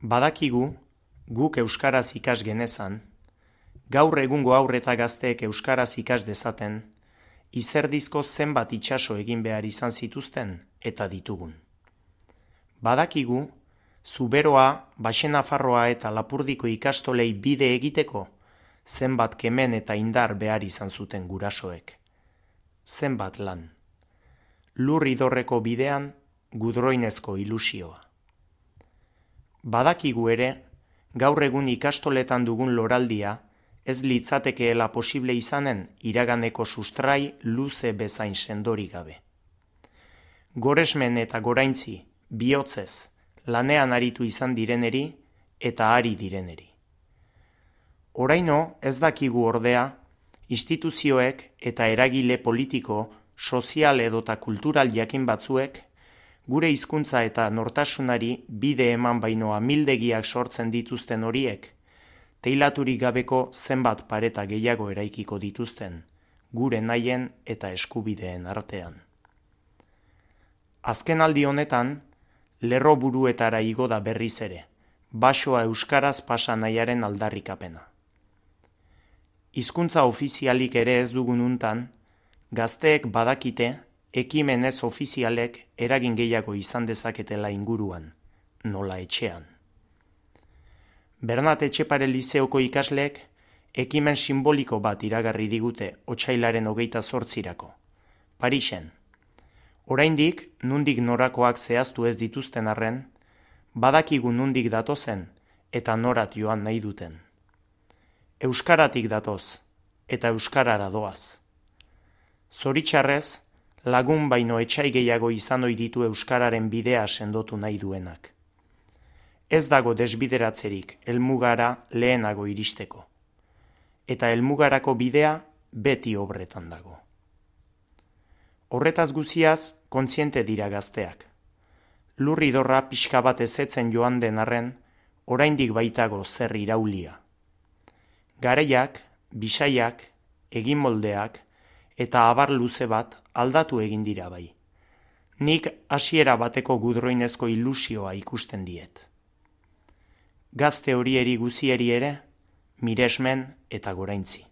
Badakigu, guk euskaraz ikas genezan, gaur egungo haur eta gazteek euskaraz ikas dezaten, izerdizko zenbat itsaso egin behar izan zituzten eta ditugun. Badakigu, Zuberoa, Baxenafarroa eta Lapurdiko ikastolei bide egiteko, zenbat kemen eta indar behar izan zuten gurasoek. Zenbat lan. Lur idorreko bidean, gudroinezko ilusioa. Badakigu ere, gaur egun ikastoletan dugun loraldia, ez litzatekeela posible izanen iraganeko sustrai luze bezain sendorik gabe. Goresmen eta goraintzi, bihotzez, lanean aritu izan direneri eta ari direneri. Oraino ez dakigu ordea, instituzioek eta eragile politiko, sozial edota kultural jakin batzuek, gure hizkuntza eta nortasunari bide eman baino amildegiak sortzen dituzten horiek, teilaturik gabeko zenbat pareta gehiago eraikiko dituzten, gure nahien eta eskubideen artean. Azkenaldi honetan, lerro buruetara igo da berriz ere, basoa euskaraz pasa nahiaren aldarrikapena. Hizkuntza ofizialik ere ez dugun untan, gazteek badakite, ekimen ez ofizialek eragin gehiago izan dezaketela inguruan, nola etxean. Bernat Etxepare Lizeoko ikasleek ekimen simboliko bat iragarri digute otsailaren 28-rako, Parisen. Oraindik, nundik norakoak zehaztu ez dituzten arren, badakigu nundik datozen eta norat joan nahi duten. Euskaratik datoz eta euskarara doaz. Zoritxarrez, lagun baino etsai gehiago izan ohi ditu euskararen bidea sendotu nahi duenak. Ez dago desbideratzerik helmugara lehenago iristeko. Eta helmugarako bidea beti obretan dago. Horretaz guziaz, kontziente dira gazteak. Lurridorra pixka bat ezetzen joan den arren, oraindik baitago zer iraulia. Garaiak, bisaiak, egin moldeak, eta abar luze bat aldatu egin dira bai. Nik hasiera bateko gudroinezko ilusioa ikusten diet. Gazte horieri guzieri ere, miresmen eta goraintzi.